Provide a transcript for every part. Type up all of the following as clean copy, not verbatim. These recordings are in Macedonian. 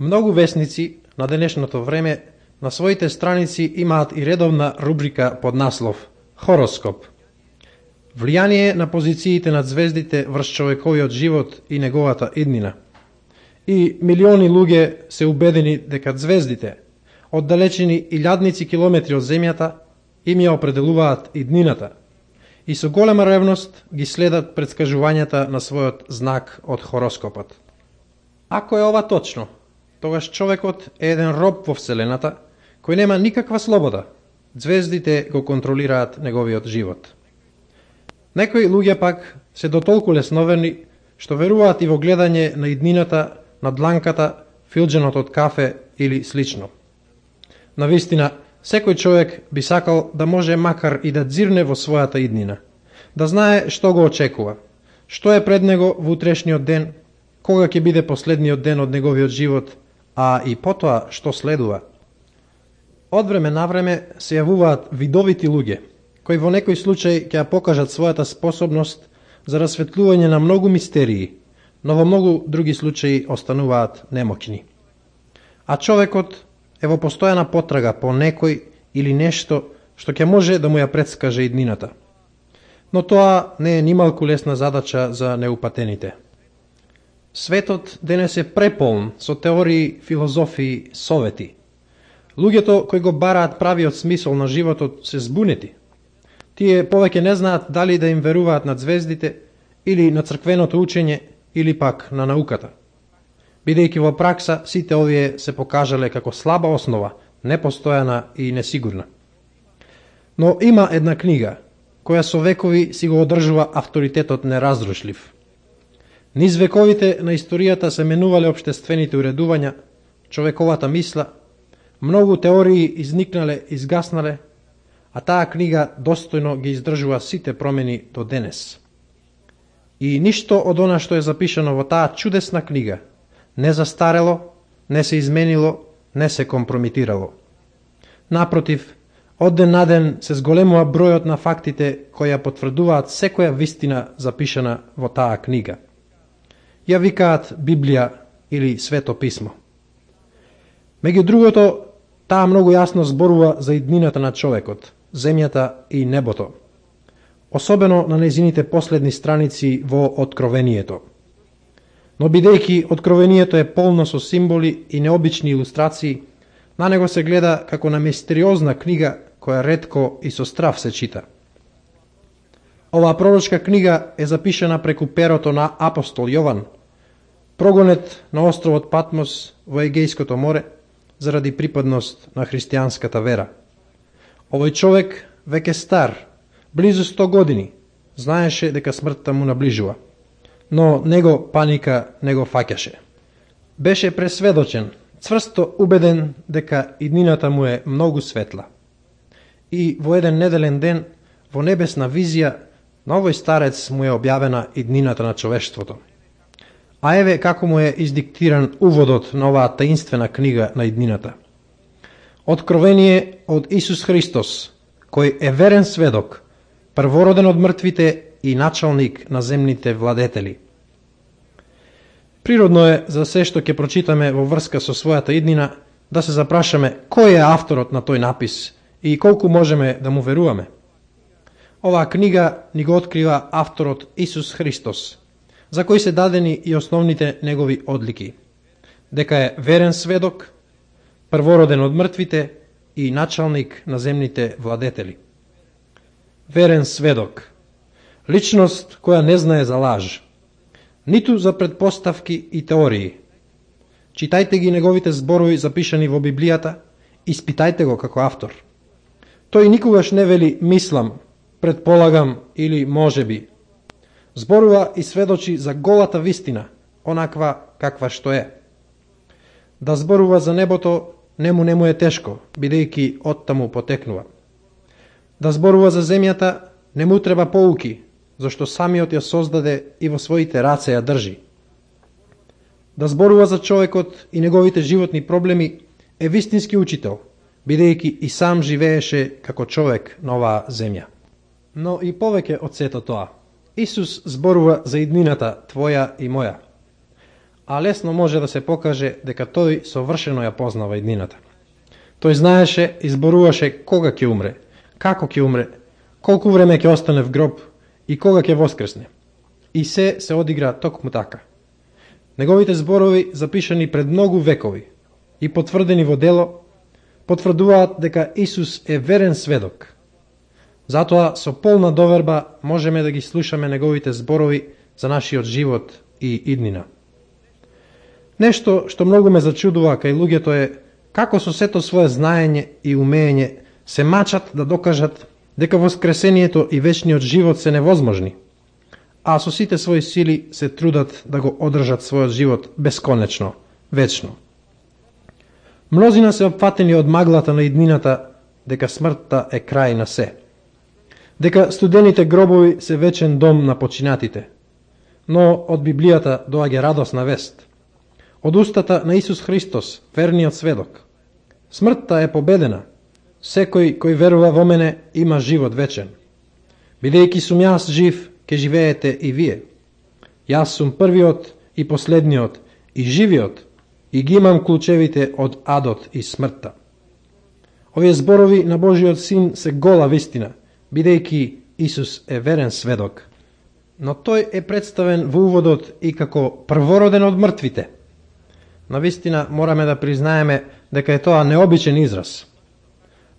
Многу весници на денешното време на своите страници имаат и редовна рубрика под наслов Хороскоп. Влијание на позициите на звездите врз човековиот живот и неговата иднина. И милиони луѓе се убедени дека звездите, оддалечени илјадници километри од земјата, им ја определуваат иднината и со голема ревност ги следат претскажувањата на својот знак од хороскопот. Ако е ова точно, тогаш човекот е еден роб во Вселената, кој нема никаква слобода. Звездите го контролираат неговиот живот. Некои луѓе пак се дотолку лесноверни, што веруваат и во гледање на иднината, на дланката, филџанот од кафе или слично. Навистина, секој човек би сакал да може макар и да дзирне во својата иднина, да знае што го очекува, што е пред него во утрешниот ден, кога ќе биде последниот ден од неговиот живот, а и потоа што следува. Од време на време се јавуваат видовити луѓе, кои во некој случај ќе ја покажат својата способност за расветлување на многу мистерии, но во многу други случаи остануваат немоќни. А човекот е во постојана потрага по некој или нешто што ќе може да му ја предскаже иднината. Но тоа не е нималку лесна задача за неупатените. Светот денес е преполн со теории, филозофии, совети. Луѓето кои го бараат правиот смисол на животот се збунети. Тие повеќе не знаат дали да им веруваат на звездите или на црквеното учење или пак на науката. Бидејќи во пракса сите овие се покажале како слаба основа, непостојана и несигурна. Но има една книга која со векови си го одржува авторитетот неразрушлив. Низ вековите на историјата се менувале општествените уредувања, човековата мисла, многу теории изникнале, изгаснале, а таа книга достојно ги издржува сите промени до денес. И ништо од она што е запишано во таа чудесна книга не застарело, не се изменило, не се компрометирало. Напротив, од ден на ден се зголемува бројот на фактите кои ја потврдуваат секоја вистина запишана во таа книга. Ја викаат Библија или Свето писмо. Меѓу другото, таа многу јасно зборува за иднината на човекот, земјата и небото, особено на нејзините последни страници во Откровението. Но бидејќи Откровението е полно со символи и необични илустрации, на него се гледа како на мистериозна книга која ретко и со страв се чита. Оваа пророчка книга е запишана преку перото на апостол Јован, прогонет на островот Патмос во Егејското море заради припадност на христијанската вера. Овој човек, веќе стар, близу 100 години, знаеше дека смртта му наближува, но него паника не го фаќаше. Беше пресведочен, цврсто убеден дека иднината му е многу светла. И во еден неделен ден, во небесна визија, на овој старец му е објавена иднината на човештвото. А еве како му е издиктиран уводот на оваа таинствена книга на иднината. Откровение од Исус Христос, кој е верен сведок, првороден од мртвите и началник на земните владетели. Природно е за се што ќе прочитаме во врска со својата иднина да се запрашаме кој е авторот на тој напис и колку можеме да му веруваме. Оваа книга ни го открива авторот Исус Христос, за кој се дадени и основните негови одлики, дека е верен сведок, првороден од мртвите и началник на земните владетели. Верен сведок, личност која не знае за лаж, ниту за предпоставки и теории. Читајте ги неговите зборови запишани во Библијата, испитајте го како автор. Тој никогаш не вели мислам, предполагам или можеби. Зборува и сведочи за голата вистина, онаква каква што е. Да зборува за небото не му е тешко, бидејќи оттаму потекнува. Да зборува за земјата не му треба поуки, зашто самиот ја создаде и во своите раце ја држи. Да зборува за човекот и неговите животни проблеми е вистински учител, бидејќи и сам живееше како човек на оваа земја. Но и повеќе од сето тоа, Исус зборува за иднината твоја и моја. а лесно може да се покаже дека тој совршено ја познава иднината. Тој знаеше и зборуваше кога ќе умре, како ќе умре, колку време ќе остане в гроб и кога ќе воскресне. И се одигра токму така. Неговите зборови, запишани пред многу векови и потврдени во дело, потврдуваат дека Исус е верен сведок. Затоа со полна доверба можеме да ги слушаме неговите зборови за нашиот живот и иднина. Нешто што многу ме зачудува кај луѓето е како со сето свое знаење и умење се мачат да докажат дека воскресението и вечниот живот се невозможни, а со сите своји сили се трудат да го одржат својот живот бесконечно, вечно. Мнозина се опфатени од маглата на иднината дека смртта е крај на се, дека студените гробови се вечен дом на починатите, но од Библијата доаѓа радосна вест. Од устата на Исус Христос, верниот сведок. Смртта е победена. Секој кој верува во мене има живот вечен. Бидејќи сум јас жив, ке живеете и вие. Јас сум првиот и последниот и живиот и ги имам клучевите од адот и смртта. Овие зборови на Божиот Син се гола вистина, бидејќи Исус е верен сведок. Но тој е представен во уводот и како првороден од мртвите. Навистина мораме да признаеме дека е тоа необичен израз.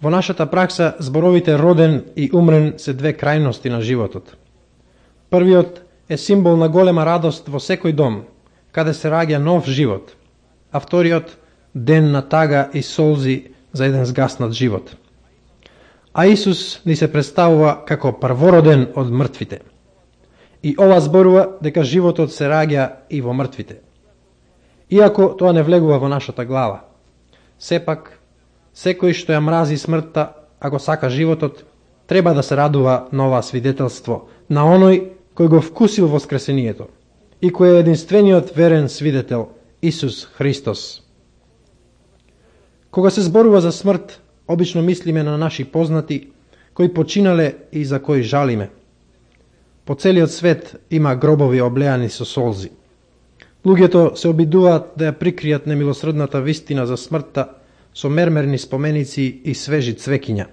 Во нашата пракса зборовите роден и умрен се две крајности на животот. Првиот е символ на голема радост во секој дом, каде се раѓа нов живот, а вториот ден на тага и солзи за еден згаснат живот. А Исус ни се представува како првороден од мртвите. И ова зборува дека животот се раѓа и во мртвите. Иако тоа не влегува во нашата глава, сепак, секој што ја мрази смртта, ако сака животот, треба да се радува на ова свидетелство на оној кој го вкусил воскресението и кој е единствениот верен свидетел, Исус Христос. Кога се зборува за смрт, обично мислиме на наши познати, кои починале и за кои жалиме. По целиот свет има гробови облеани со солзи. Луѓето се обидуваат да ја прикријат немилосредната вистина за смртта со мермерни споменици и свежи цвекиња.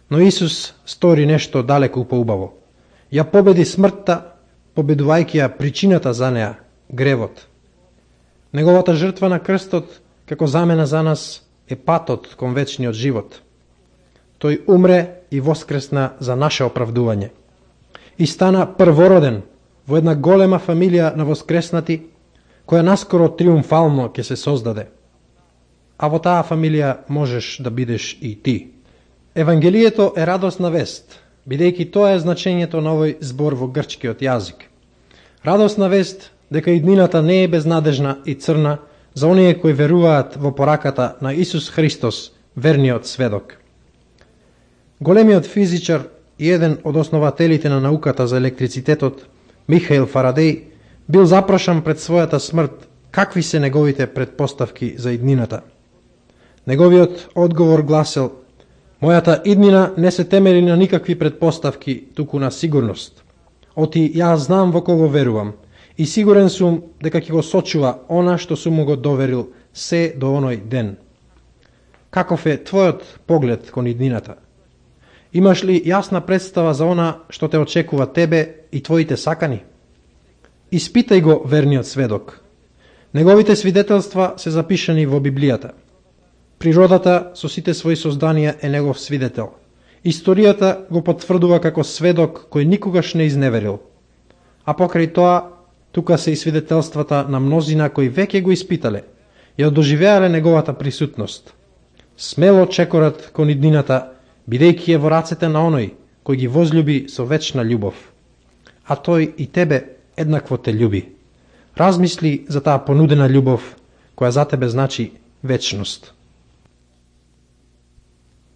Но Исус стори нешто далеку поубаво. Ја победи смртта, победувајќи ја причината за неа, гревот. Неговата жртва на крстот, како замена за нас, е патот кон вечниот живот. Тој умре и воскресна за наше оправдување. И стана првороден во една голема фамилија на воскреснати, која наскоро триумфално ќе се создаде. А во таа фамилија можеш да бидеш и ти. Евангелието е радосна вест, бидејќи тоа е значењето на овој збор во грчкиот јазик. Радосна вест дека иднината не е безнадежна и црна за оние кои веруваат во пораката на Исус Христос, верниот сведок. Големиот физичар и еден од основателите на науката за електрицитетот, Михаил Фарадеј, бил запрашан пред својата смрт какви се неговите предпоставки за иднината. Неговиот одговор гласел: "Мојата иднина не се темели на никакви предпоставки, туку на сигурност. Оти јас знам во кого верувам и сигурен сум дека ќе го сочува она што сум му го доверил се до оној ден." Каков е твојот поглед кон иднината? Имаш ли јасна представа за она што те очекува тебе и твоите сакани? Испитај го верниот сведок. Неговите свидетелства се запишани во Библијата. Природата со сите своји созданија е негов свидетел. Историјата го потврдува како сведок кој никогаш не изневерил. А покрај тоа, тука се и свидетелствата на мнозина кои веќе го испитале, ја доживеале неговата присутност. Смело чекорат кон иднината, бидејќи е во рацете на оној кој ги возлюби со вечна љубов. А тој и тебе еднакво те љуби. Размисли за таа понудена љубов, која за тебе значи вечност.